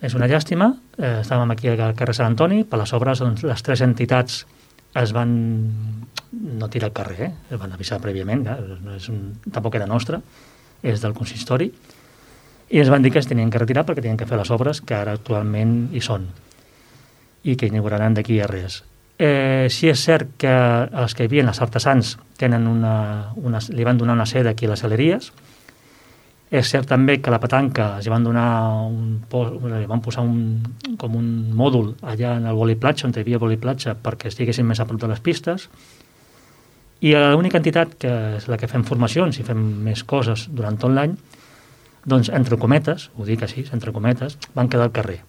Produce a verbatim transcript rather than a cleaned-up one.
és una llàstima. Eh, estàvem aquí al carrer Sant Antoni, per les obres doncs, les tres entitats es van no tirar al carrer, eh? Es van avisar prèviament, ja, no és un, tampoc era nostre, és del consistori, i es van dir que es tenien que retirar perquè tenien que fer les obres que ara actualment hi són i que inauguraran d'aquí a res. Eh, sí és cert que els que hi havia, els artesans, tenen una, una, li van donar una seda aquí a les galeries. És cert també que a la petanca els van donar un, li van posar un, com un mòdul allà en el voliplatja, on hi havia voliplatja, perquè estiguessin més a prop de les pistes. I l'única entitat, que és la que fem formacions i fem més coses durant tot l'any, doncs, entre cometes, ho dic així, entre cometes, van quedar al carrer.